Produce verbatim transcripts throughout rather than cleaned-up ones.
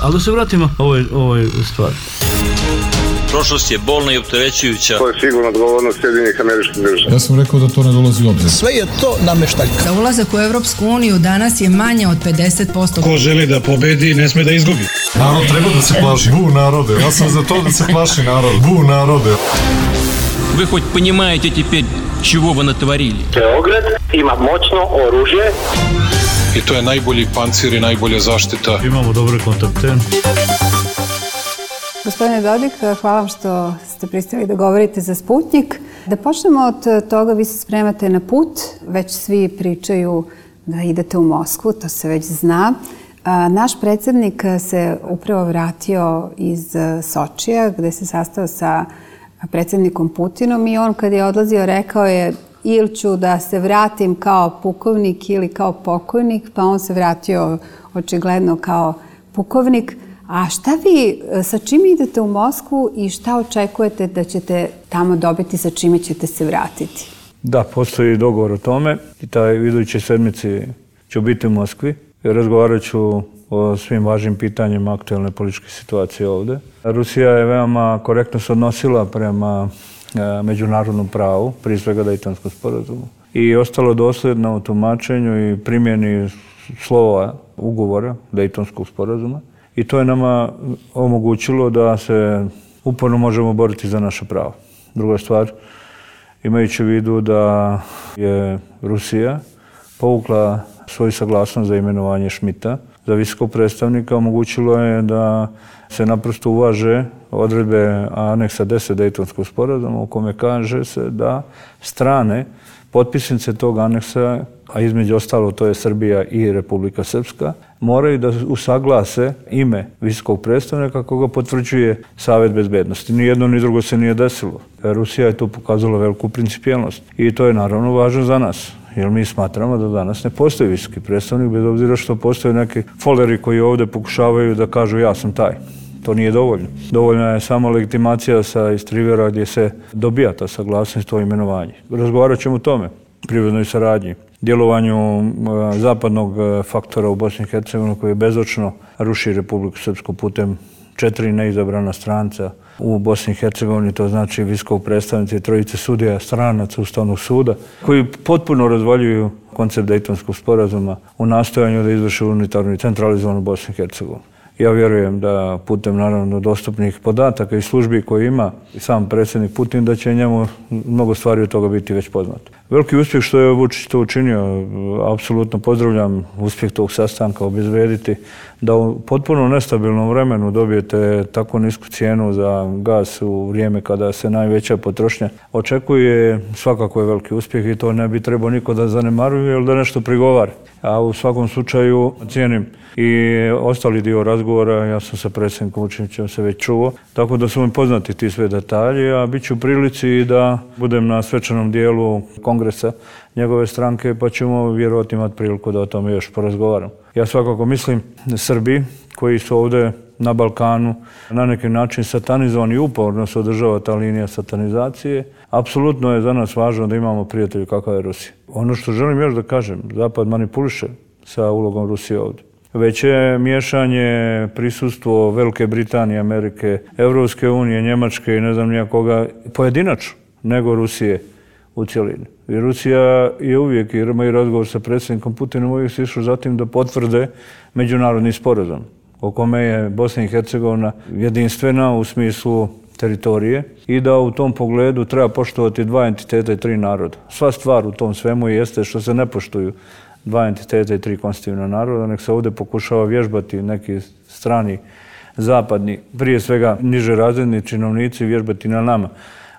Ali da se vratimo ovoj, ovoj stvari. Prošlost je bolna i opterećujuća. To je sigurno odgovornost Sjedinjenih Američkih Država. Ja sam rekao da to ne dolazi u obzir. Sve je to nameštaljka. Za ulazak u Evropsku uniju danas je manje od pedeset posto. Ko želi da pobedi, ne sme da izgubi. Narod treba da se plaši. Bu narode. Ja sam za to da se plaši narod. Bu narode. Вы хоть понимаете теперь, чего вы натворили? Beograd ima moćno oružje. I to je najbolji pancir i najbolja zaštita. Imamo dobre kontakte. Gospodine Dodik, hvala vam što ste pristali da govorite za Sputnjik. Da počnemo od toga, vi se spremate na put, već svi pričaju da idete u Moskvu, to se već zna. Naš predsjednik se upravo vratio iz Sočija, gde se sastao sa predsjednikom Putinom i on kad je odlazio rekao je ili ću da se vratim kao pukovnik ili kao pokojnik, pa on se vratio očigledno kao pukovnik. A šta vi, sa čim idete u Moskvu i šta očekujete da ćete tamo dobiti, sa čime ćete se vratiti? Da, postoji dogovor o tome i taj iduće sedmici ću biti u Moskvi. Razgovarat ću o svim važnim pitanjima aktualne političke situacije ovdje. Rusija je veoma korektno se odnosila prema međunarodnom pravu, prije svega Dejtonskom sporazumu, i ostalo dosljedno u tumačenju i primjeni slova ugovora Dejtonskog sporazuma. I to je nama omogućilo da se uporno možemo boriti za naše pravo. Druga stvar, imajući u vidu da je Rusija povukla svoju saglasnost za imenovanje Schmidta za visokog predstavnika, omogućilo je da se naprosto uvaže odredbe aneksa deset Dejtonskog sporazuma u kome kaže se da strane potpisnice tog aneksa, a između ostalo to je Srbija i Republika Srpska, moraju da usaglase ime visokog predstavnika kako ga potvrđuje Savet bezbednosti. Ni jedno ni drugo se nije desilo. Rusija je tu pokazala veliku principijelnost i to je naravno važno za nas. Jer mi smatramo da danas ne postoji visoki predstavnik, bez obzira što postoje neki foleri koji ovdje pokušavaju da kažu ja sam taj. To nije dovoljno. Dovoljna je samo legitimacija sa Istrivera gdje se dobija ta saglasnost i to imenovanje. Razgovarat ćemo o tome, privrednoj saradnji, djelovanju zapadnog faktora u Bosni i Hercegovini koji bezočno ruši Republiku Srpsku putem četiri neizabrana stranca u Bosni i Hercegovini, to znači visokog predstavnika i trojice sudija stranaca Ustavnog suda, koji potpuno razvaljuju koncept Dejtonskog sporazuma u nastojanju da izvrše unitarnu i centralizovanu Bosnu i Hercegovinu. Ja vjerujem da putem naravno dostupnih podataka i službi koje ima sam predsjednik Putin, da će njemu mnogo stvari od toga biti već poznato. Veliki uspjeh što je Vučić to učinio, apsolutno pozdravljam uspjeh tog sastanka, obezbediti da u potpuno nestabilnom vremenu dobijete tako nisku cijenu za gas u vrijeme kada se najveća potrošnja očekuje, svakako je veliki uspjeh i to ne bi trebao niko da zanemaruje ili da nešto prigovara. A u svakom slučaju cijenim i ostali dio razgovora, ja sam sa predsjednikom Vučićem se već čuo, tako da su mi poznati ti sve detalji, a bit ću u prilici da budem na svečanom dijelu kongresa njegove stranke, pa ćemo vjerovatno imati priliku da o tome još porazgovaram. Ja svakako mislim Srbi koji su ovdje na Balkanu na neki način satanizovani i uporno se održava ta linija satanizacije. Apsolutno je za nas važno da imamo prijatelju kakav je Rusija. Ono što želim još da kažem, Zapad manipuliše sa ulogom Rusije ovdje. Već je miješanje, prisustvo Velike Britanije, Amerike, Evropske unije, Njemačke i ne znam nijakoga pojedinačno nego Rusije u cjelini. I Rusija je uvijek, jer imaju razgovor sa predsjednikom Putinom, uvijek se išao zatim da potvrde međunarodni sporazum o kome je Bosna i Hercegovina jedinstvena u smislu teritorije i da u tom pogledu treba poštovati dva entiteta i tri naroda. Sva stvar u tom svemu jeste što se ne poštuju dva entiteta i tri konstitutivna naroda, nek se ovdje pokušava vježbati neki strani, zapadni, prije svega niže razredni činovnici vježbati na nama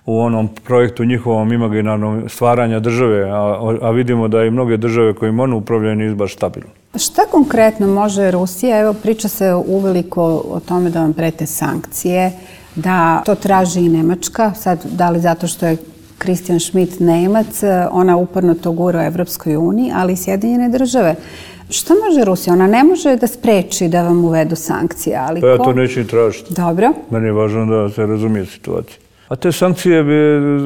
u onom projektu njihovom imaginarnom stvaranja države, a, a vidimo da i mnoge države kojim ono upravljaju nisu baš stabilne. Šta konkretno može Rusija? Evo, priča se uveliko o tome da vam prete sankcije, da to traži i Nemačka, sad da li zato što je Christian Schmidt Nemac, ona uporno to gura u Evropskoj uniji, ali i Sjedinjene države. Što može Rusija? Ona ne može da spreči da vam uvedu sankcije, ali pa ja to neću ni tražiti. Dobro. Meni je važno da se razumije situacija. A te sankcije bi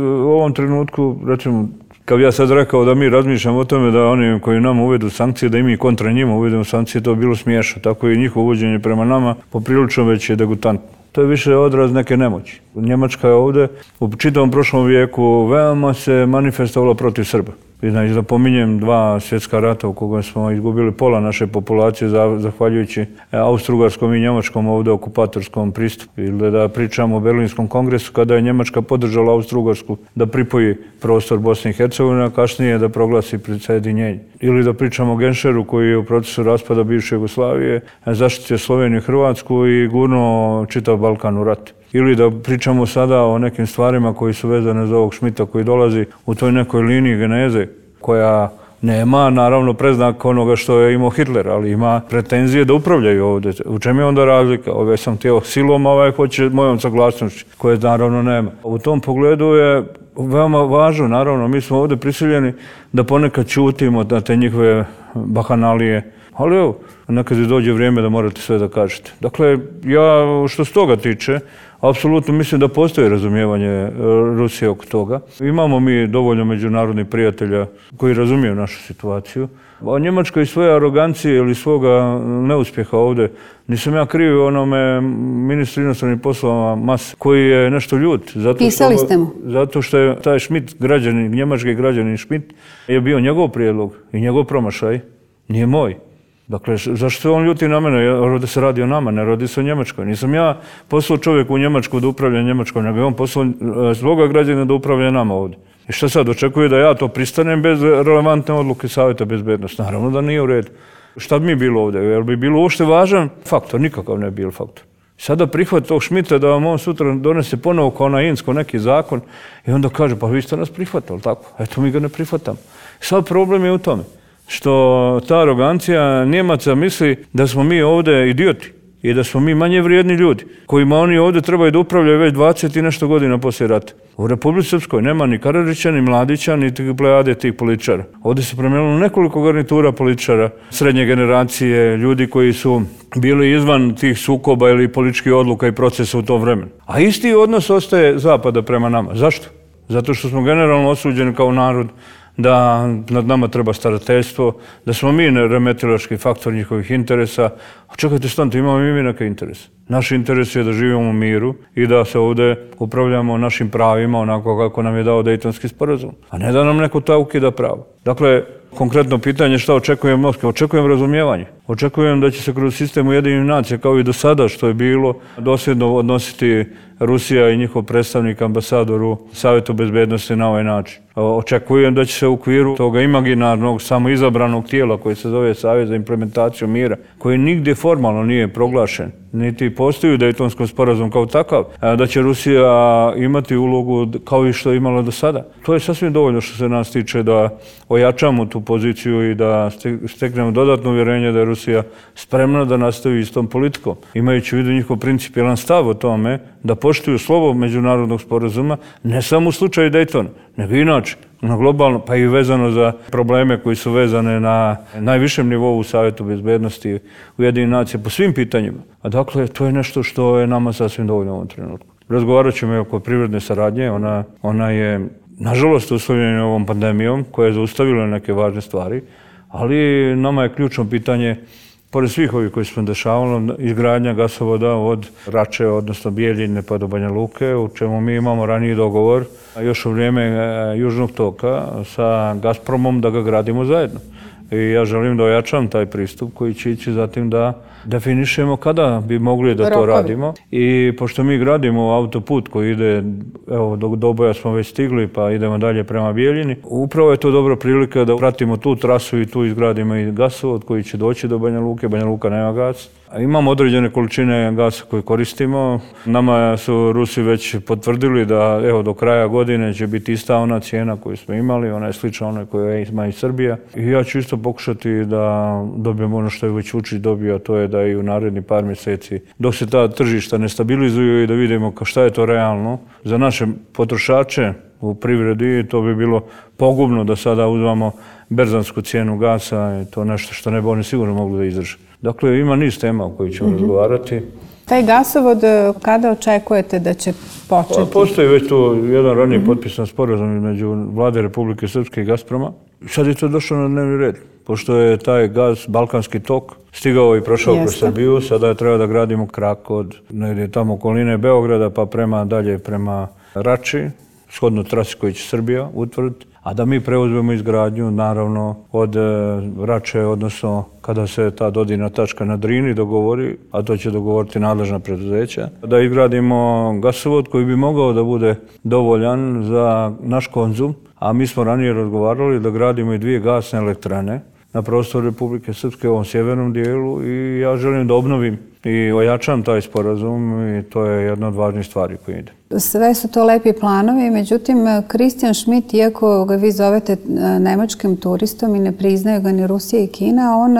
u ovom trenutku, recimo, Kad bi ja sad rekao da mi razmišljamo o tome da oni koji nama uvedu sankcije, da i mi kontra njima uvedemo sankcije, to bi bilo smiješno. Tako i njihovo uvođenje prema nama poprilično već je degutantno. To je više odraz neke nemoći. Njemačka je ovdje u čitavom prošlom vijeku veoma se manifestovala protiv Srba. I znači da pominjem dva svjetska rata u kojima smo izgubili pola naše populacije zahvaljujući austrougarskom i njemačkom ovdje okupatorskom pristupu. Ili da pričamo o Berlinskom kongresu kada je Njemačka podržala Austrougarsku da pripoji prostor Bosne i Hercegovine, a kasnije da proglasi prisjedinjenje. Ili da pričamo o Genšeru koji je u procesu raspada bivše Jugoslavije zaštitio Sloveniju i Hrvatsku i gurnuo čitav Balkan u rat. Ili da pričamo sada o nekim stvarima koji su vezane za ovog Šmita koji dolazi u toj nekoj liniji geneze koja nema naravno preznak onoga što je imao Hitler, ali ima pretenzije da upravljaju ovdje. U čem je onda razlika? Ove sam htio silom, a ovaj hoće mojom saglasnošću, koje naravno nema. U tom pogledu je veoma važno, naravno, mi smo ovdje prisiljeni da ponekad ćutimo na te njihove bahanalije. Ali evo, nekad dođe vrijeme da morate sve da kažete. Dakle, ja što se toga tiče, apsolutno mislim da postoji razumijevanje Rusije oko toga. Imamo mi dovoljno međunarodnih prijatelja koji razumiju našu situaciju. A Njemačka i svoje arogancije ili svoga neuspjeha ovdje, nisam ja kriv onome ministru inostranih poslova Mas, koji je nešto ljut. Zato Pisali ste mu. Zato što je taj Schmidt, građanin, njemački građanin Schmidt, je bio njegov prijedlog i njegov promašaj, nije moj. Dakle, zašto se on ljuti na mene? Ovdje se radi o nama, ne radi se o Njemačkoj. Nisam ja poslao čovjeku u Njemačku da upravlja Njemačkom, nego je on poslao svoga građana da upravlja nama ovdje. I šta sad, očekuje da ja to pristanem bez relevantne odluke Savjeta bezbednosti? Naravno da nije u redu. Šta bi mi bilo ovdje? Jel bi bilo uopšte važan faktor? Nikakav ne bi bio faktor. Sada prihvat tog Šmita da vam on sutra donese ponovo kao na Insko neki zakon i onda kaže, pa vi ste nas prihvatali, tako? Eto, mi ga ne prihvatamo. Sad problem je u tome što ta arogancija Njemaca misli da smo mi ovdje idioti i da smo mi manje vrijedni ljudi kojima oni ovdje trebaju da upravljaju već dvadeset i nešto godina poslije rata. U Republici Srpskoj nema ni Karadžića, ni Mladića, ni plejade tih političara. Ovdje se promijenilo nekoliko garnitura političara, srednje generacije, ljudi koji su bili izvan tih sukoba ili političkih odluka i procesa u tom vremenu. A isti odnos ostaje Zapada prema nama. Zašto? Zato što smo generalno osuđeni kao narod da nad nama treba starateljstvo, da smo mi remetilački faktor njihovih interesa. A čekajte, stanite, imamo i mi neke interese. Naš interes je da živimo u miru i da se ovdje upravljamo našim pravima onako kako nam je dao Dejtonski sporazum, a ne da nam neko ta ukida pravo. Dakle, konkretno pitanje šta očekujem Moskve? Očekujem razumijevanje. Očekujem da će se kroz sistem Ujedinjenih nacija, kao i do sada što je bilo, dosljedno odnositi Rusija i njihov predstavnik, ambasador u Savjetu bezbednosti na ovaj način. Očekujem da će se u okviru toga imaginarnog, samoizabranog tijela koji se zove Savjet za implementaciju mira, koji nigdje formalno nije proglašen, niti postoji u Dejtonskom sporazumu kao takav, da će Rusija imati ulogu kao i što je imala do sada. To je sasvim dovoljno što se nas tiče da ojačamo tu poziciju i da steknemo dodatno uvjerenje da je Rusija spremna da nastavi istom politikom, imajući u vidu njihov principijelan stav o tome da poštuju slovo međunarodnog sporazuma, ne samo u slučaju Dejtona, nego inače, na globalno, pa i vezano za probleme koji su vezane na najvišem nivou u Savjetu bezbednosti Ujedinjenih nacija po svim pitanjima. A dakle, to je nešto što je nama sasvim dovoljno u ovom trenutku. Razgovarat ćemo i oko privredne saradnje, ona, ona je nažalost uslovljena ovom pandemijom koja je zaustavila neke važne stvari, ali nama je ključno pitanje, pored svih ovih koji smo dešavali, izgradnja gasovoda od Rače, odnosno Bijeljine pa do Banja Luke, u čemu mi imamo raniji dogovor, još u vrijeme Južnog toka sa Gazpromom da ga gradimo zajedno. I ja želim da ojačam taj pristup koji će ići zatim da definišemo kada bi mogli da to radimo. I pošto mi gradimo autoput koji ide, evo do Doboja smo već stigli pa idemo dalje prema Bijeljini, upravo je to dobra prilika da pratimo tu trasu i tu izgradimo i gasovod koji će doći do Banja Luke. Banja Luka nema gas. Imamo određene količine gasa koje koristimo. Nama su Rusi već potvrdili da evo do kraja godine će biti ista ona cijena koju smo imali, ona je slična onoj koju ima i Srbija. I ja ću isto pokušati da dobijem ono što je već Vučić dobio, a to je da i u naredni par mjeseci, dok se ta tržišta ne stabilizuju i da vidimo šta je to realno za naše potrošače u privredi, to bi bilo pogubno da sada uzmamo berzansku cijenu gasa i to nešto što ne bi oni sigurno mogli da izdrže. Dakle, ima niz tema o kojoj ćemo mm-hmm. razgovarati. Taj gasovod, kada očekujete da će početi? Pa, postoji već tu jedan ranije mm-hmm. potpisan sporazum između Vlade Republike Srpske i Gazproma. Sad je to došlo na dnevni red. Pošto je taj gaz, Balkanski tok, stigao i prošao kroz Srbiju, sada je treba da gradimo krak od negdje tamo okoline Beograda pa prema dalje prema Rači, shodno trasi koji će Srbija utvrditi, a da mi preuzmemo izgradnju, naravno, od Rače, odnosno kada se ta dodirna tačka na Drini dogovori, a to će dogovoriti nadležna preduzeća, da izgradimo gasovod koji bi mogao da bude dovoljan za naš konzum, a mi smo ranije razgovarali da gradimo i dvije gasne elektrane na prostoru Republike Srpske u ovom sjevernom dijelu i ja želim da obnovim i ojačam taj sporazum i to je jedna od važnih stvari koje ide. Sve su to lepi planovi, međutim, Christian Schmidt, iako ga vi zovete nemačkim turistom i ne priznaju ga ni Rusija i Kina, on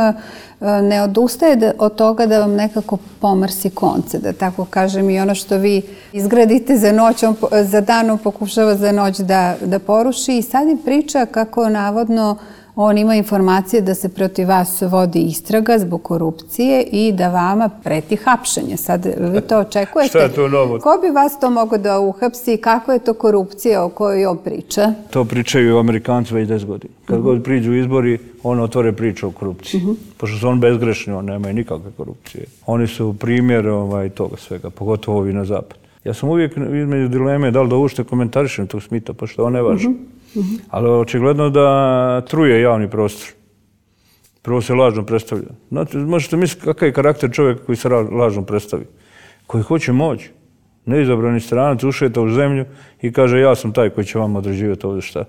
ne odustaje od toga da vam nekako pomrsi konce, da tako kažem, i ono što vi izgradite za noć, on za dan on pokušava za noć da, da poruši i sad im priča kako navodno on ima informacije da se protiv vas vodi istraga zbog korupcije i da vama preti hapšenje. Sad vi to očekujete? Šta je to novo? Ko bi vas to mogao da uhapsi? Kako je to korupcija o kojoj on priča? To pričaju Amerikanci već deset godina. Kad uh-huh. god priđu izbori, on otvore priču o korupciji. Uh-huh. Pošto su on bezgrešni, on nemaju nikakve korupcije. Oni su primjer ovaj, toga svega, pogotovo ovi na zapad. Ja sam uvijek između dileme da li da ušte komentarišem tog Smita, pošto on ne važi. Uh-huh. Uh-huh. Ali očigledno da truje javni prostor. Prvo se lažno predstavlja. Znate, možete misliti kakav je karakter čovjeka koji se lažno predstavi. Koji hoće moć. Neizabrani stranac ušeta u zemlju i kaže ja sam taj koji će vam određivati ovdje šta.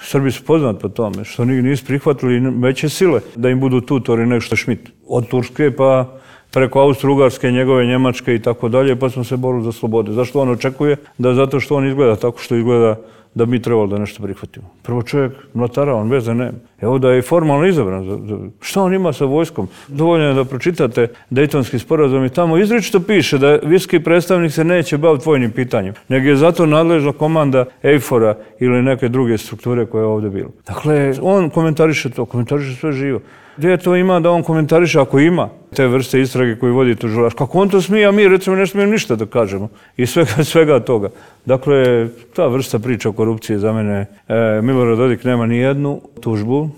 Srbi su poznati po tome, što nisu prihvatili veće sile da im budu tutori nego što Schmidt. Od Turske pa preko Austro-Ugarske, njegove Njemačke i tako dalje, pa smo se borili za slobode. Zašto on očekuje? Da zato što on izgleda tako što izgleda da mi trebalo da nešto prihvatimo. Prvo čovjek mlatara, on veze nema. Evo da je formalno izabran. Šta on ima sa vojskom? Dovoljno je da pročitate Dejtonski sporazum i tamo izričito piše da visoki predstavnik se neće baviti vojnim pitanjem, nego je zato nadležna komanda EIFOR-a ili neke druge strukture koje je ovdje bilo. Dakle, on komentariše to, komentariše sve živo. Gdje to ima da on komentariše ako ima te vrste istrage koje vodi tužilaštvo? Kako on to smije, a mi recimo ne smijemo ništa da kažemo. I svega, svega toga. Dakle, ta vrsta priča o korupciji za mene, e, Milorad Dodik nema ni jednu tužbu,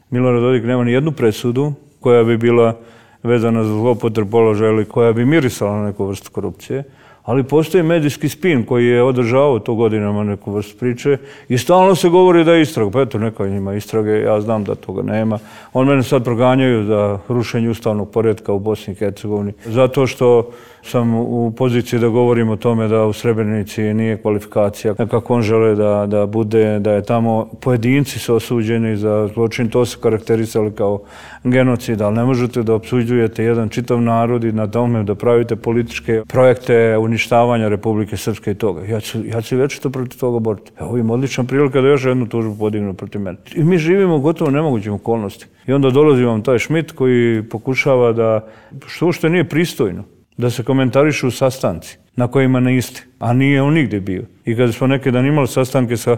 Milorad Dodik nema ni jednu presudu koja bi bila vezana za zloupotrebu položaja ili koja bi mirisala na neku vrstu korupcije. Ali postoji medijski spin koji je održavao to godinama neku vrstu priče i stalno se govori da je istraga. Pa eto, neka njima istrage, ja znam da toga nema. On mene sad proganjaju za rušenje ustavnog poretka u Bosni i Hercegovini. Zato što sam u poziciji da govorim o tome da u Srebrenici nije kvalifikacija. Kako on žele da, da bude, da je tamo pojedinci su osuđeni za zločin, to se karakterisali kao genocid, ali ne možete da opsuđujete jedan čitav narod i na tome da pravite političke projekte uništavanja Republike Srpske i toga. Ja ću, ja ću večito protiv toga boriti. Evo im odlična prilika da još jednu tužbu podignu protiv mene. I mi živimo u gotovo nemogućim okolnosti. I onda dolazi vam taj Schmidt koji pokušava da, što ušte nije pristojno, da se komentarišu sastanci na kojima ne isti, a nije on nigdje bio. I kada smo neki dan imali sastanke sa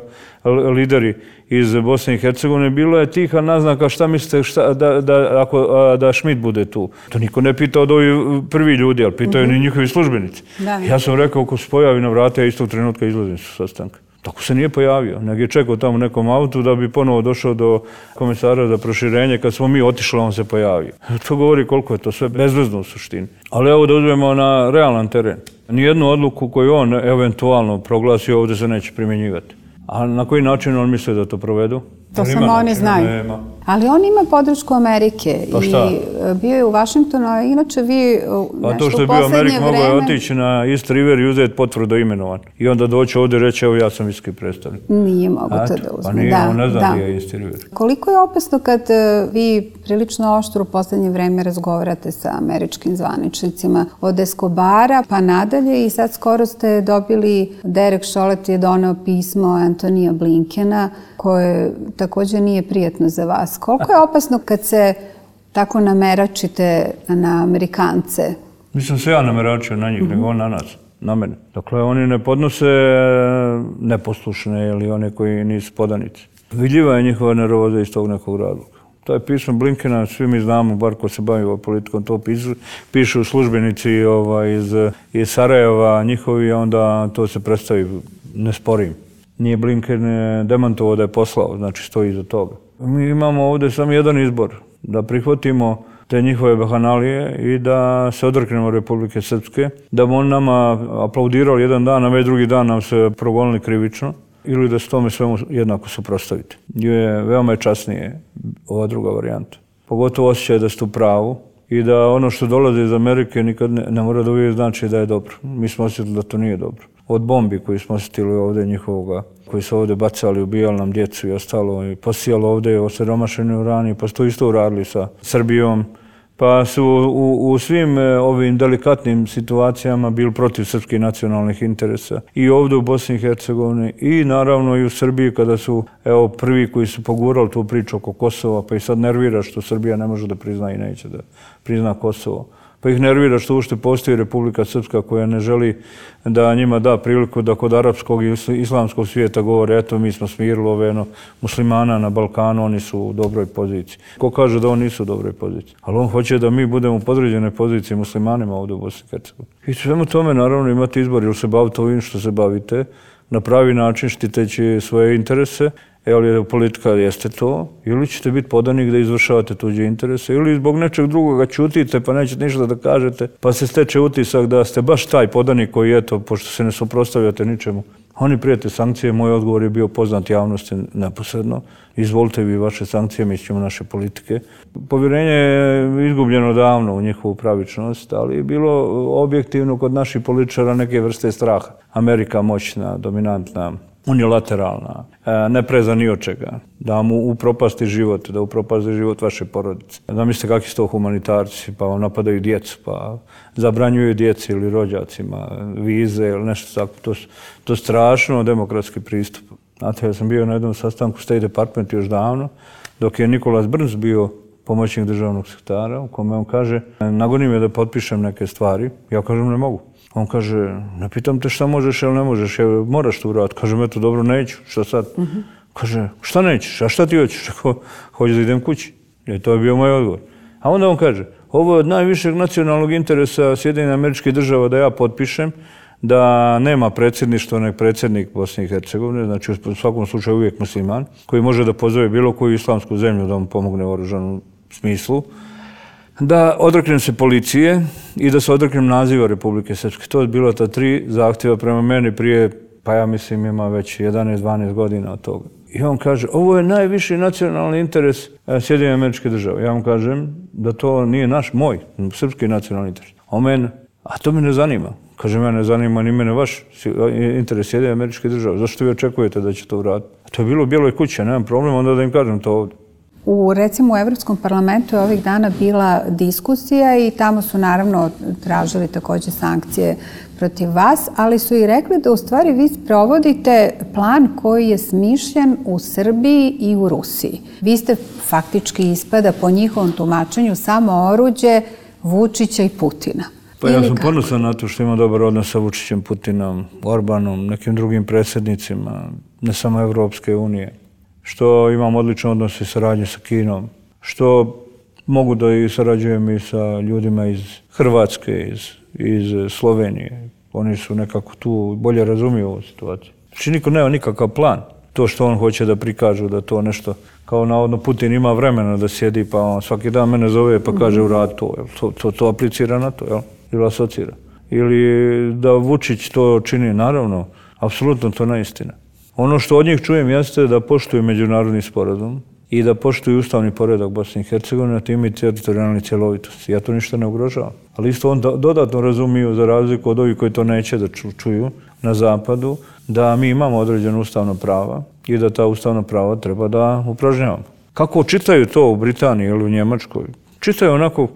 lideri iz Bosne i Hercegovine, bilo je tiha naznaka šta mislite šta, da, da, ako, da Schmidt bude tu. To niko ne pitao od ovi prvi ljudi, ali pitaju mm-hmm. ni njihovi službenici. Da. Ja sam rekao, ako se pojavi na vrata, ja istog trenutka izlazim sa sastanka. Tako se nije pojavio, nego je čekao tamo u nekom autu da bi ponovo došao do komesara za proširenje. Kad smo mi otišli, on se pojavio. To govori koliko je to sve bezvezno u suštini. Ali evo da uzmemo na realan teren. Nijednu odluku koju on eventualno proglasi ovdje se neće primjenjivati. A na koji način on misli da to provedu? To samo oni znaju. Nema. Ali on ima podršku Amerike pa šta? I bio je u Washingtonu, a inače vi nešto u poslednje vreme... A to što je bio Amerik, mogao je otići na East River i uzeti potvrdu imenovan. I onda doći ovdje i reći, evo ja sam visoki predstavnik. Nije mogo to da uzme. Pa nije, da, on ne zna da. gdje je East River. Koliko je opasno kad vi prilično oštro u poslednje vreme razgovarate sa američkim zvaničnicima od Escobara pa nadalje i sad skoro ste dobili, Derek Chollet je doneo pismo Antonija Blinkena koje također nije prijatno za vas. Koliko je opasno kad se tako nameračite na Amerikance? Nisam se ja nameračio na njih, mm-hmm. nego on na nas, na mene. Dakle, oni ne podnose neposlušne ili one koji nisu podanici. Vidljiva je njihova nervoza iz tog nekog razloga. To je pismo Blinkena, svi mi znamo, bar ko se bavi ovom politikom, to pišu, pišu službenici ovaj, iz, iz Sarajeva, njihovi, onda to se predstavi, ne sporim. Nije Blinken demantovao da je poslao, znači stoji iza toga. Mi imamo ovdje samo jedan izbor, da prihvatimo te njihove bahanalije i da se odreknemo Republike Srpske, da bi on nama aplaudirali jedan dan, a već drugi dan nam se progonili krivično, ili da se tome svemu jednako suprotstaviti. Je veoma je časnije ova druga varijanta. Pogotovo osjećaj da ste u pravu i da ono što dolazi iz Amerike nikad ne, ne mora da uvijek znači da je dobro. Mi smo osjetili da to nije dobro. Od bombi koji smo osjetili ovdje njihovoga, koji su ovdje bacali, ubijali nam djecu i ostalo, i posijali ovdje osiromašeni urani, pa su to isto uradili sa Srbijom. Pa su u, u svim ovim delikatnim situacijama bili protiv srpskih nacionalnih interesa. I ovdje u Bosni i Hercegovini i naravno i u Srbiji kada su evo, prvi koji su pogurali tu priču oko Kosova, pa i sad nervira što Srbija ne može da prizna i neće da prizna Kosovo. Pa ih nervira što uopšte postoji Republika Srpska koja ne želi da njima da priliku da kod arapskog i islamskog svijeta govore eto mi smo smirili ove no, muslimana na Balkanu, oni su u dobroj poziciji. Ko kaže da oni nisu u dobroj poziciji? Ali on hoće da mi budemo u podređenoj poziciji muslimanima ovdje u Bosni i Hercegovini. I svemu tome naravno imate izbor ili se bavite ovim što se bavite na pravi način štiteći svoje interese. Evo politika jeste to, ili ćete biti podanik da izvršavate tuđe interese, ili zbog nečeg drugoga ćutite pa nećete ništa da kažete, pa se steče utisak da ste baš taj podanik koji eto, pošto se ne suprotstavljate ničemu. Oni prijete sankcije, moj odgovor je bio poznat javnosti neposredno. Izvolite vi vaše sankcije, mi ćemo naše politike. Povjerenje je izgubljeno davno u njihovu pravičnost, ali je bilo objektivno kod naših političara neke vrste straha. Amerika moćna, dominantna, unilateralna, ne preza ni od čega, da mu upropasti život, da upropasti život vaše porodice. Zamislite kakvi su to humanitarci, pa vam napadaju djecu, pa zabranjuju djeci ili rođacima vize ili nešto tako. To, to je strašno demokratski pristup. Znate, ja sam bio na jednom sastanku State Department još davno, dok je Nikolas Brns bio pomoćnik državnog sekretara, u kome on kaže, nagoni me da potpišem neke stvari, ja kažem ne mogu. On kaže, ne pitam te šta možeš ili ne možeš, evo, moraš to uraditi. Kažem, eto, dobro, neću, šta sad? Uh-huh. Kaže, šta nećeš, a šta ti hoćeš? Hoćeš da idem kući. I to je bio moj odgovor. A onda on kaže, ovo je od najvišeg nacionalnog interesa Sjedinjenih Američkih Država da ja potpišem, da nema predsjedništva, nek predsjednik Bosne i Hercegovine, znači u svakom slučaju uvijek musliman, koji može da pozove bilo koju islamsku zemlju da mu pomogne u oružanom smislu, da odreknem se policije i da se odreknem naziva Republike Srpske. To je bilo ta tri zahtjeva prema meni prije, pa ja mislim ima već jedanaest dvanaest godina od toga. I on kaže, ovo je najviši nacionalni interes Sjedinjenih Američkih Država. Ja vam kažem da to nije naš, moj, srpski nacionalni interes. O mene, a to me ne zanima. Kaže, mene ne zanima ni mene vaš interes Sjedinjenih Američkih Država. Zašto vi očekujete da će to uraditi? A to je bilo u Bijeloj kući, nemam problem, onda da im kažem to ovdje. U, recimo, u Evropskom parlamentu je ovih dana bila diskusija i tamo su naravno tražili također sankcije protiv vas, ali su i rekli da u stvari vi provodite plan koji je smišljen u Srbiji i u Rusiji. Vi ste faktički ispada po njihovom tumačenju samo oruđe Vučića i Putina. Pa ja sam ponosan na to što imam dobar odnos sa Vučićem, Putinom, Orbanom, nekim drugim predsjednicima, ne samo Evropske unije. Što imam odličan odnos i saradnje sa Kinom, što mogu da i sarađujem i sa ljudima iz Hrvatske, iz, iz Slovenije. Oni su nekako tu bolje razumiju ovu situaciju. Znači niko nema nikakav plan. To što on hoće da prikažu da to nešto, kao navodno Putin ima vremena da sjedi pa on svaki dan mene zove pa kaže uradi to, to, to, to aplicira na to, jel? Ili asocira. Ili da Vučić to čini, naravno, apsolutno to neistina. Ono što od njih čujem jeste da poštuju međunarodni sporazum i da poštuju ustavni poredak Bosne i Hercegovine, a time i teritorijalne cjelovitosti. Ja to ništa ne ugrožavam. Ali isto on dodatno razumiju, za razliku od ovih koji to neće da čuju na zapadu, da mi imamo određeno ustavno prava i da ta ustavna prava treba da upražnjavamo. Kako čitaju to u Britaniji ili u Njemačkoj? Čitaju onako,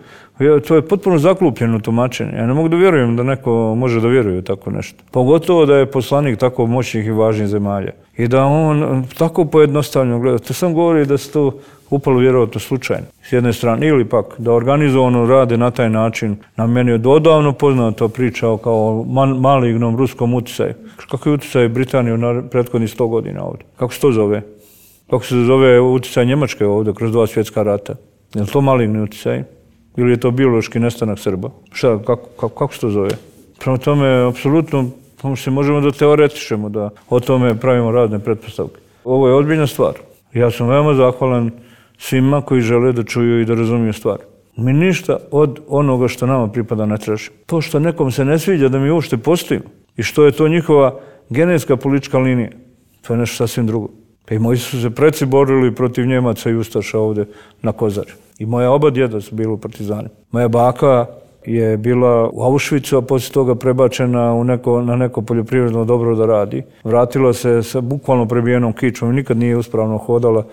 to je potpuno zaklupljeno tumačenje. Ja ne mogu da vjerujem da neko može da vjeruje u tako nešto. Pogotovo da je poslanik tako moćnih i važnih zemalja. I da on tako pojednostavljeno gleda. To sam govori da se to upalo vjerovatno slučajno. S jedne strane. Ili pak da organizovano rade na taj način. Na meni je odavno poznato pričao kao malignom ruskom utjecaju. Kako je utjecaj Britanije na prethodnih sto godina ovdje? Kako se to zove? kako se zove utjecaj Njemačke ovdje kroz dva svjetska rata. Je li to maligni utjecaj? Ili je to biološki nestanak Srba? Šta, kako, kako, kako se to zove? Prema tome, apsolutno, se možemo da teoretišemo, da o tome pravimo razne pretpostavke. Ovo je ozbiljna stvar. Ja sam veoma zahvalan svima koji žele da čuju i da razumiju stvar. Mi ništa od onoga što nama pripada ne tražimo. To što nekom se ne sviđa da mi uopšte postojimo i što je to njihova genetska politička linija, to je nešto sasvim drugo. Pa i moji su se preci borili protiv Njemaca i Ustaša ovde na Kozari. I moja oba djeda su bili u partizani. Moja baka je bila u Auschwitzu, a poslije toga prebačena u neko, na neko poljoprivredno dobro da radi. Vratila se sa bukvalno prebijenom kičom i nikad nije uspravno hodala.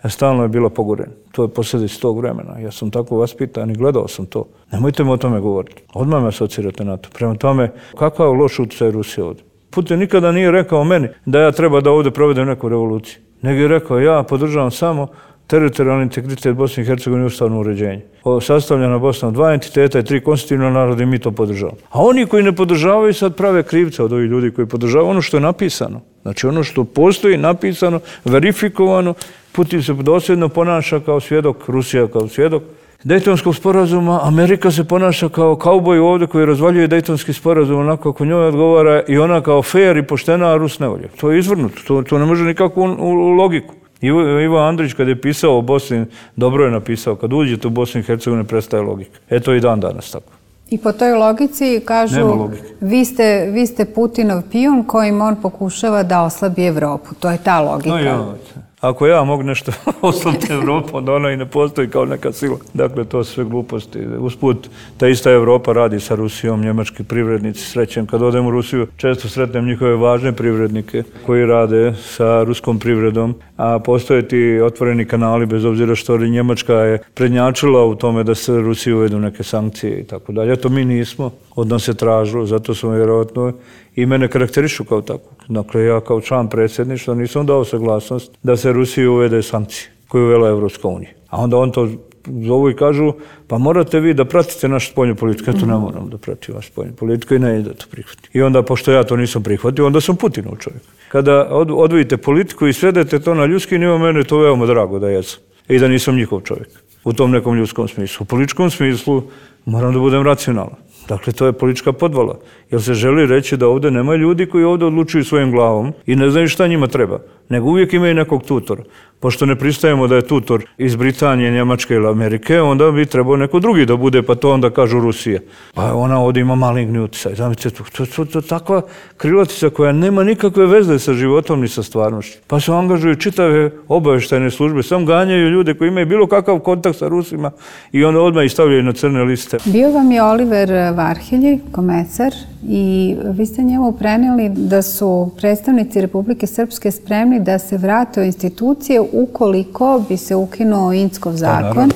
Stalno je bila pogorena. To je posljedica tog vremena. Ja sam tako vaspitan i gledao sam to. Nemojte mi o tome govoriti. Odmah me asocirate na to. Prema tome, kakav je loš utjecaj Rusije ovdje? Putin nikada nije rekao meni da ja treba da ovdje provedem neku revoluciju. Nego je rekao, ja podržavam samo teritorijalni integritet Bosne i Hercegovine i ustavno uređenje. Sastavljena Bosna od dva entiteta i tri konstitutivna naroda i mi to podržavamo. A oni koji ne podržavaju sad prave krivce od ovih ljudi koji podržavaju ono što je napisano. Znači ono što postoji napisano, verifikovano, Putin se dosljedno ponaša kao svjedok, Rusija kao svjedok Dejtonskog sporazuma, Amerika se ponaša kao kauboj ovdje koji razvaljuje Dejtonski sporazum onako kako njoj odgovara i ona kao fair i poštena, a Rus ne volje. To je izvrnuto, to, to ne može nikakvu u, u logiku. Ivo, Ivo Andrić kad je pisao o Bosni, dobro je napisao, kad uđete u Bosni i Hercegovine prestaje logika. Eto i dan danas tako. I po toj logici kažu, vi ste, vi ste Putinov pijun kojim on pokušava da oslabi Evropu. To je ta logika. No, ja. Ako ja mogu nešto oslabiti Evropu, onda ona i ne postoji kao neka sila. Dakle, to su sve gluposti. Usput, ta ista Evropa radi sa Rusijom, njemački privrednici. Srećem, kad odem u Rusiju, često sretnem njihove važne privrednike koji rade sa ruskom privredom, a postoje ti otvoreni kanali, bez obzira što Njemačka je prednjačila u tome da se Rusiji uvedu neke sankcije i tako dalje. To mi nismo, od nas se tražilo, zato smo vjerojatno i mene karakterišu kao tako. Dakle, ja kao član predsjedništva nisam dao saglasnost da se Rusiji uvede sankcije koje je uvela Evropska unija. A onda on to zovu i kažu, pa morate vi da pratite našu spoljnu politiku. Ja to ne moram da pratim vašu spoljnu politiku i ne da to prihvatim. I onda, pošto ja to nisam prihvatio, onda sam Putinov čovjek. Kada od, odvojite politiku i svedete to na ljudski nivo, mene je to veoma drago da jesam. I da nisam njihov čovjek. U tom nekom ljudskom smislu. U političkom smislu moram da budem racionalan. Dakle, to je politička podvala. Jer se želi reći da ovdje nema ljudi koji ovdje odlučuju svojim glavom i ne znaju šta njima treba. Nego uvijek imaju nekog tutora. Pošto ne pristajemo da je tutor iz Britanije, Njemačke ili Amerike, onda bi trebao neko drugi da bude, pa to onda kažu Rusija. Pa ona ovdje ima maligni utjecaj. Zamislite, to, to, to je takva krilatica koja nema nikakve veze sa životom ni sa stvarnošću. Pa se angažuju čitave obavještajne službe, sam ganjaju ljude koji imaju bilo kakav kontakt sa Rusima i onda odmah ih stavljaju na crne liste. Bio vam je Oliver Varhelji, komesar, i vi ste njemu prenijeli da su predstavnici Republike Srpske spremni da se vrate u institucije ukoliko bi se ukinuo Inckov zakon.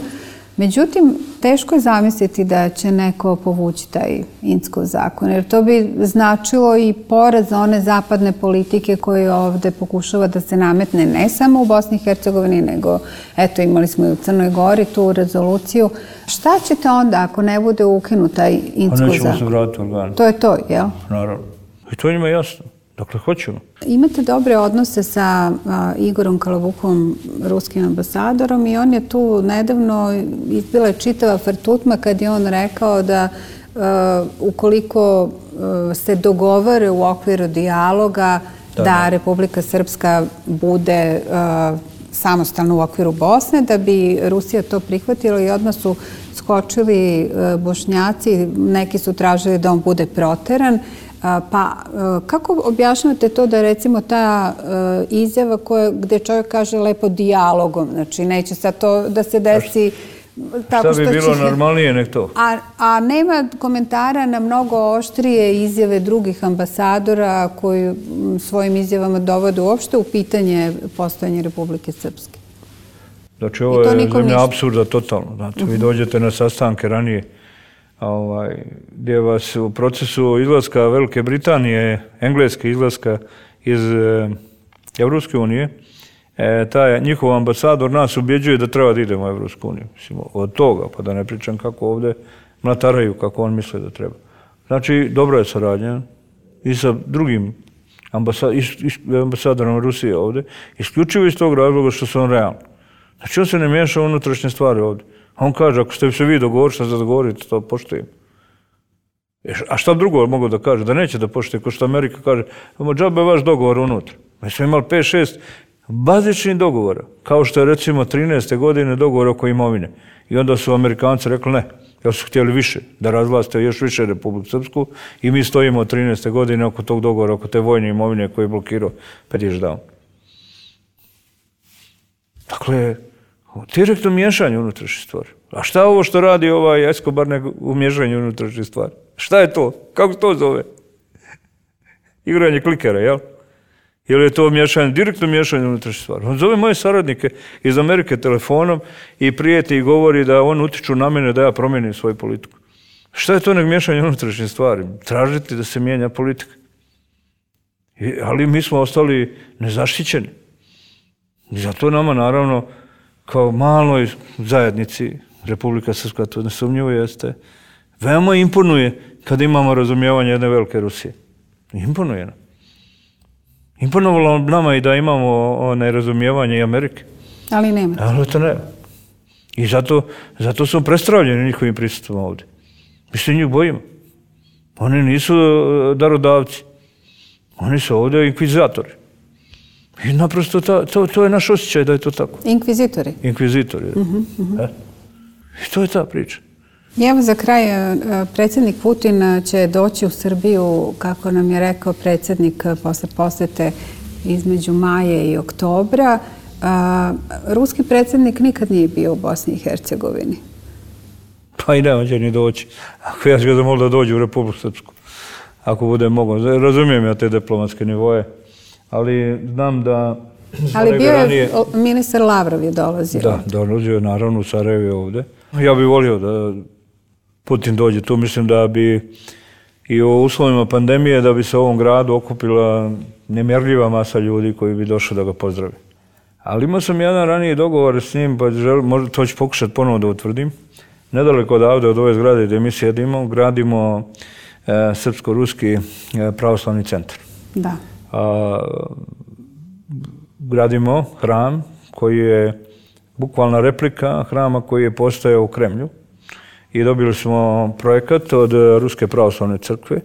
Međutim, teško je zamisliti da će neko povući taj Inckov zakon, jer to bi značilo i poraz one zapadne politike koje ovdje pokušava da se nametne ne samo u Bosni i Hercegovini, nego eto imali smo i u Crnoj Gori tu rezoluciju. Šta ćete onda ako ne bude ukinut taj Inckov zakon? Pa nećemo se vratiti organe. To je to, jel? Naravno. I to njima jasno. Dakle, hoćemo. Imate dobre odnose sa a, Igorom Kalabukom, ruskim ambasadorom, i on je tu nedavno izbila čitava frtutma kad je on rekao da a, ukoliko a, se dogovore u okviru dijaloga da, da Republika Srpska bude a, samostalna u okviru Bosne, da bi Rusija to prihvatila i odmah su skočili a, Bošnjaci, neki su tražili da on bude proteran. Pa kako objašnjavate to da recimo ta izjava koja, gde čovjek kaže lepo dijalogom, znači neće sad to da se desi tako što će... Šta bi bilo normalnije nek to? A, a nema komentara na mnogo oštrije izjave drugih ambasadora koji svojim izjavama dovode uopšte u pitanje postojanja Republike Srpske. Znači ovo je zemlja apsurda totalno. Znači vi dođete na sastanke ranije Ovaj, gdje vas u procesu izlaska Velike Britanije, engleske izlaska iz e, Evropske unije, e, taj njihov ambasador nas ubjeđuje da treba da idemo u Evropsku uniju. Mislim, od toga, pa da ne pričam kako ovdje mlataraju, kako on misle da treba. Znači, dobra je saradnja i sa drugim ambasa, is, is, ambasadorom Rusije ovdje, isključivo iz tog razloga što su on realni. Znači on se ne miješa u unutrašnje stvari ovdje. On kaže, ako ste se vi dogovorili, što se dogovorite, to poštujem. A šta drugo mogu da kaže? Da neće da poštuje, kao što Amerika kaže, ima džabe vaš dogovor unutra. Mi smo imali pet šest bazičnih dogovora, kao što je recimo trinaeste godine dogovor oko imovine. I onda su Amerikanci rekli ne, jer su htjeli više, da razvlaste još više Republiku Srpsku i mi stojimo od trinaeste godine oko tog dogovora, oko te vojne imovine koje je blokirao Petić Down. Dakle, direktno miješanje unutrašnjih stvari. A šta je ovo što radi ovaj Escobar nego u miješanju unutrašnjih stvari? Šta je to? Kako se to zove? Igranje klikera, jel? Jer je to miješanje, direktno miješanje unutrašnjih stvari. On zove moje saradnike iz Amerike telefonom i prijeti i govori da on utiču na mene da ja promijenim svoju politiku. Šta je to nego miješanje unutrašnjih stvari? Tražiti da se mijenja politika. I, ali mi smo ostali nezaštićeni. I zato nama, naravno, kao maloj zajednici, Republika Srpska, to nesumnjivo jeste, veoma imponuje kad imamo razumijevanje jedne velike Rusije. Imponuje nam. Imponovalo nama i da imamo nerazumijevanje i Amerike. Ali nema. Ali to nema. I zato, zato su prestravljeni njihovim prisustvom ovdje. Mi se njih bojimo. Oni nisu darodavci. Oni su ovdje inkvizitori. I naprosto ta, to, to je naš osjećaj da je to tako. Inkvizitori? Inkvizitori, da. Uh-huh, uh-huh. E? I to je ta priča. I evo za kraj, predsjednik Putin će doći u Srbiju, kako nam je rekao predsjednik posle posete između maje i oktobra. Ruski predsjednik nikad nije bio u Bosni i Hercegovini. Pa i nema će ni doći. Ako ja ću ga zamoliti da dođe u Republiku Srpsku. Ako bude mogo. Razumijem ja te diplomatske nivoje. Ali znam da... Ali bio je, ministar Lavrov je dolazio. Da, dolazio je naravno u Sarajevo ovdje. Ja bih volio da Putin dođe tu. Mislim da bi i u uslovima pandemije da bi se u ovom gradu okupila nemjerljiva masa ljudi koji bi došli da ga pozdravi. Ali imao sam jedan raniji dogovor s njim, pa želim, možda to ću pokušati ponovo da utvrdim. Nedaleko odavde od ove zgrade gdje mi sjedimo, gradimo e, srpsko-ruski e, pravoslavni centar. Da. A, gradimo hram koji je bukvalna replika hrama koji je postojao u Kremlju i dobili smo projekat od Ruske pravoslavne crkve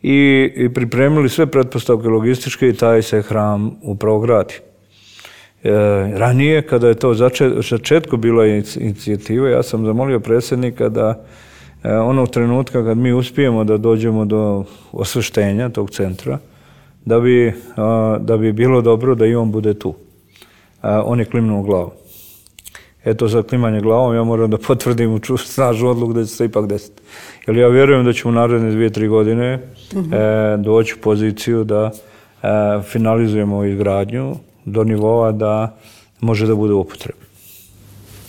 i, i pripremili sve pretpostavke logističke i taj se hram upravo gradi. E, ranije, kada je to začetku bila inicijativa, ja sam zamolio predsjednika da e, onog trenutka kad mi uspijemo da dođemo do osveštenja tog centra, da bi, a, da bi bilo dobro da i on bude tu. A, on je klimnuo glavu. Eto, za klimanje glavom ja moram da potvrdim u snažnu odluku da će se ipak desiti. Jer ja vjerujem da ćemo u naredne dvije, tri godine uh-huh. e, doći u poziciju da e, finalizujemo izgradnju do nivoa da može da bude u upotrebi.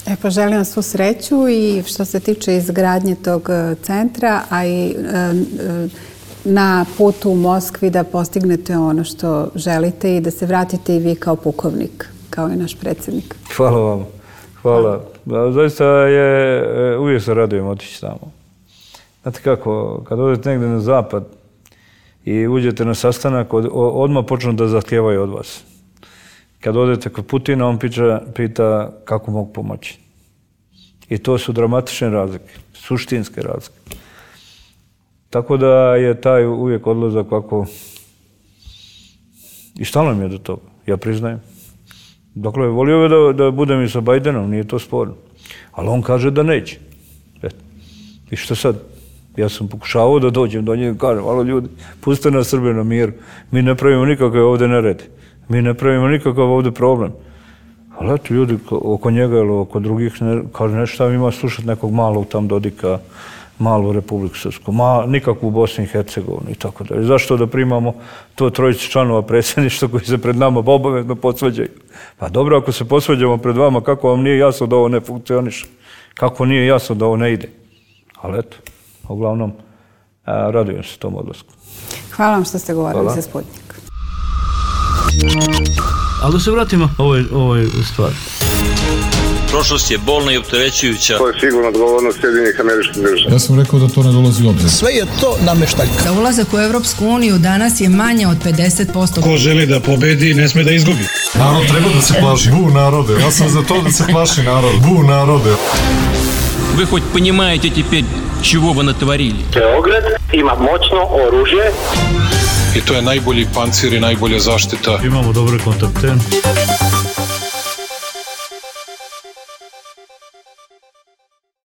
E pa želim vam svu sreću i što se tiče izgradnje tog centra, a i e, e, na putu u Moskvi da postignete ono što želite i da se vratite i vi kao pukovnik, kao i naš predsjednik. Hvala vam. Hvala. Da, zaista je, uvijek se radujem otići tamo. Znate kako, kad odete negdje na zapad i uđete na sastanak, od, odmah počnu da zahtijevaju od vas. Kad odete kod Putina, on pita, pita kako mogu pomoći. I to su dramatične razlike, suštinske razlike. Tako da je taj uvijek odlazak ovako... I stalno mi je do toga, ja priznajem. Dakle, volio bi da, da budem i sa Bajdenom, nije to sporno. Ali on kaže da neće. Eto. I što sad? Ja sam pokušavao da dođem do njega i kažem, alo ljudi, pustite nas Srbe na miru. Mi ne pravimo nikakve ovdje nerede. Mi ne pravimo nikakav ovdje problem. Ali eto, ljudi oko njega ili oko drugih, ne, kaže nešto ima slušati nekog malog tam Dodika, malu Republiku Srpsku, ma, nikakvu Bosnu i Hercegovinu i tako dalje. Zašto da primamo to trojicu članova predsjedništva koji se pred nama obavezno posvađaju? Pa dobro, ako se posvađamo pred vama, kako vam nije jasno da ovo ne funkcioniše? Kako nije jasno da ovo ne ide? Ali eto, uglavnom, a, radujem se tom odlasku. Hvala vam što ste govorili Hvala. za Sputnik. Ali da se vratimo ovoj, ovoj stvari. Prošlost je bolna i opterećujuća. To je sigurno odgovornost Sjedinjenih Američkih Država. Ja sam rekao da to ne dolazi u obzir. Sve je to nameštaljka. Za ulazak u Europsku uniju danas je manje od pedeset posto. Ko želi da pobedi, ne sme da izgubi. Narod treba da se plaši. Bu narode. Ja sam za to da se plaši narod. Bu narode. Вы хоть понимаете теперь, чего вы натворили? Beograd ima moćno oružje. I to je najbolji pancir i najbolja zaštita. Imamo dobre kontakte.